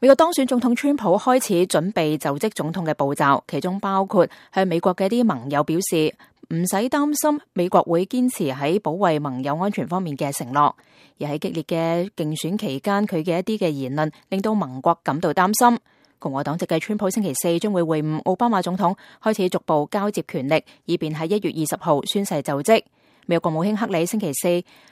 美國當選總統川普開始準備就職總統嘅步驟，其中包括向美國嘅一啲盟友表示唔使擔心美國會堅持喺保衛盟友安全方面嘅承諾，而喺激烈嘅競選期間，佢嘅一啲嘅言論令到盟國感到擔心。共和黨籍嘅川普星期四將會會晤奧巴馬總統，開始逐步交接權力，以便喺1月20號宣誓就職。美國國務卿克里星期四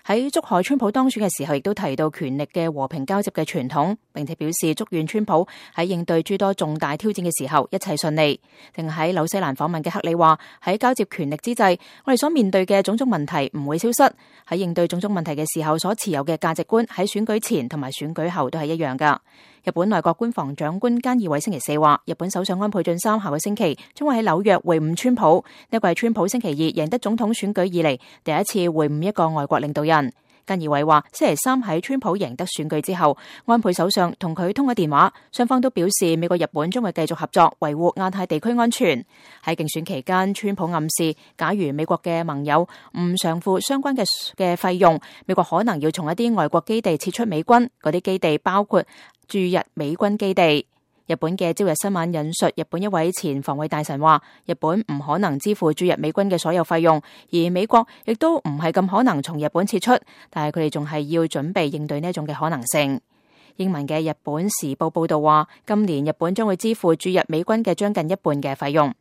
喺祝賀川普當選嘅時候，亦都提到權力嘅和平交接嘅傳統，並且表示祝願川普喺應對諸多重大挑戰嘅時候一切順利。正喺紐西蘭訪問嘅克里話：喺交接權力之際，我哋所面對嘅種種問題唔會消失。喺應對種種問題嘅時候，所持有嘅價值觀喺選舉前同埋選舉後都係一樣噶。日本內閣官房長官菅義偉星期四話，日本首相安倍晉三下個星期將會喺紐約會晤川普，呢個係川普星期二贏得總統選舉以嚟第一次會晤一個外國領導人。菅義偉話，星期三喺川普贏得選舉之後，安倍首相同佢通咗電話，雙方都表示美國日本將會繼續合作，維護亞太地區安全。喺競選期間，川普暗示，假如美國嘅盟友唔償付相關嘅費用，美國可能要從一啲外國基地撤出美軍，嗰啲基地包括駐日美軍基地。日本嘅朝日新聞引述日本一位前防衛大臣話，日本唔可能支付駐日美軍嘅所有費用，而美國亦都唔係咁可能從日本撤出，但係佢哋仲係要準備應對呢一種嘅可能性。英文嘅日本時報報道話，今年日本將會支付駐日美軍嘅將近一半嘅費用。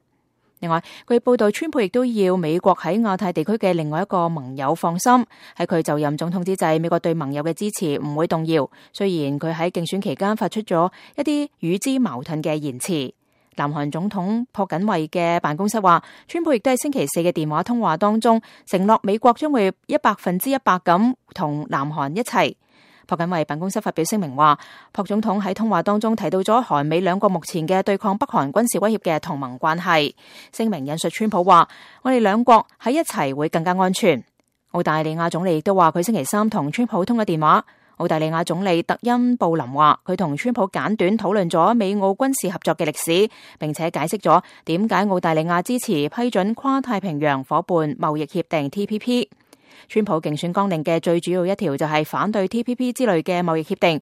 另外，據報道，川普亦都要美國喺亞太地區嘅另外一個盟友放心，喺佢就任總統之際，美國對盟友嘅支持唔會動搖。雖然佢喺競選期間發出咗一啲與之矛盾嘅言辭。南韓總統朴槿惠嘅辦公室話，川普亦都喺星期四嘅電話通話當中承諾美國將會100%咁同南韓一齊。朴槿惠辦公室發表聲明話，朴總統喺通話當中提到咗韓美兩國目前嘅對抗北韓軍事威脅嘅同盟關係。聲明引述川普話，我哋兩國喺一齊會更加安全。澳大利亞總理亦都話，佢星期三同川普通咗電話。澳大利亞總理特恩布林話，佢同川普簡短討論咗美澳軍事合作嘅歷史，並且解釋咗點解澳大利亞支持批准跨太平洋夥伴貿易協定 TPP。川普競選綱領嘅最主要一條就係反對 TPP 之類嘅貿易協定，